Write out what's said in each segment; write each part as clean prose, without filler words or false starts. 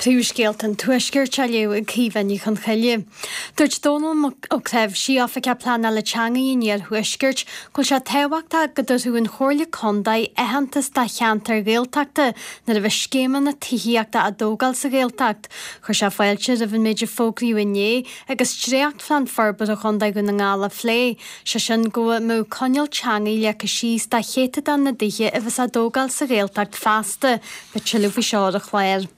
Príomhscéalta an Tuaiscirt á léamh ag Caoimhe Ní Chonchoille. Dúirt Dónall Ó Cnáimhsí, Oifigeach Pleanála Teanga an Iarthuaiscirt, go bhfuil sé tábhachtach go dtabharfadh an Chomhairle Contae aitheantas do cheantair Ghaeltachta nuair a bheas scéimeanna tithíochta á dtógáil sa Ghaeltacht. Chuir sé fáilte roimh an méid a fógraíodh inné agus dréachtphlean forbartha Chontae Dhún na nGall á phlé, sé sin go mbeadh coinníoll teanga leagtha síos do chéatadán na dtithe a bheas á dtógáil sa Ghaeltacht feasta. Beidh tuilleadh faoi seo ar an chlár.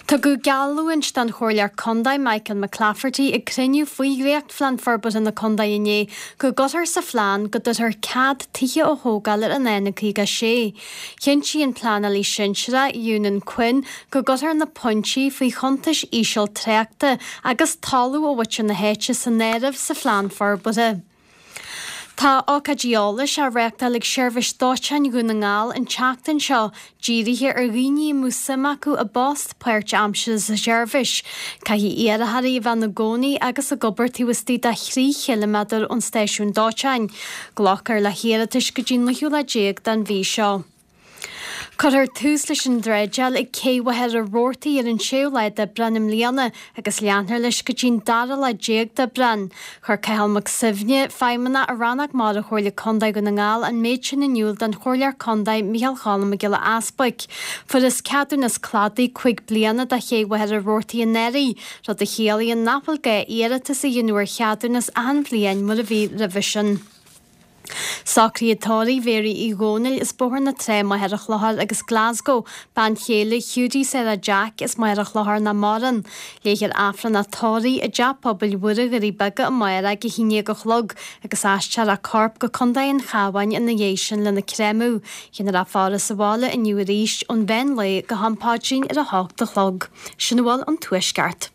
Tugadh geallúint don Chomhairleoir Contae Michael McClafferty ag cruinniú faoi dhréachtphlean forbartha na contae inné go gcuirfear sa phlean go dtabharfar cead tithe a thógáil ar an N56. Chinntigh an pleanálaí sinsearach Eunan Quinn go gcuirfear na pointí faoi chuntais íseal tráchta agus talamh ó mhuintir na háite san áireamh sa phlean forbartha. Tá ócáidí eolais á reáchtáil ag Seirbhís Dóiteáin Dhún na nGall an tseachtain seo, dírithe ar dhaoine a mbeadh suim acu i bpost páirtaimseartha sa tseirbhís. Caithfidh iarrthóirí a bheith ina gcónaí agus ag obair taobh istigh de thrí chiliméadar ón stáisiún dóiteáin. Glacfar le hiarratais go dtí an 19ú lá den mhí seo. Cuirfear tús leis an dreideáil ag Cé Mhachaire Rabhartaigh ar an séú lá d'Aibreán i mbliana agus leanfar leis go dtí an dara lá déag d'Aibreán. Chuir Cathal Mac Suibhne, Feidhmeannach i Rannóg Mara Chomhairle Contae Dhún na nGall an méid sin in iúl don Chomhairleoir Contae Micheál Cholm Mac Giolla Easbuic. Fuarthas ceadúnas cladaigh 5 bliana do Ché Mhachaire Rabhartaigh anuraidh, rud a chiallaíonn nach bhfuil gá iarratas a dhéanamh ar cheadúnas achan bhliain mar a bhí roimhe sin. Socruithe tórraimh Mhéaraí Uí Dhónaill as Bóthar na Trá, Machaire Chlochair agus Glasgow, bean chéile Hiúdaí Sarah Jack as Machaire Chlochair nach maireann. Léifear Aifreann a tórraimh i dTeach Pobail Mhuire Dhoirí Beaga amárach ag 11 a chlog agus aistreofar a corp go Contae an Chabháin ina dhiaidh sin lena créamadh. Déanfar a faire sa bhaile inniu arís ón mheán lae go ham paidrín ar a hocht a chlog. Sin a bhfuil ón Tuaisceart.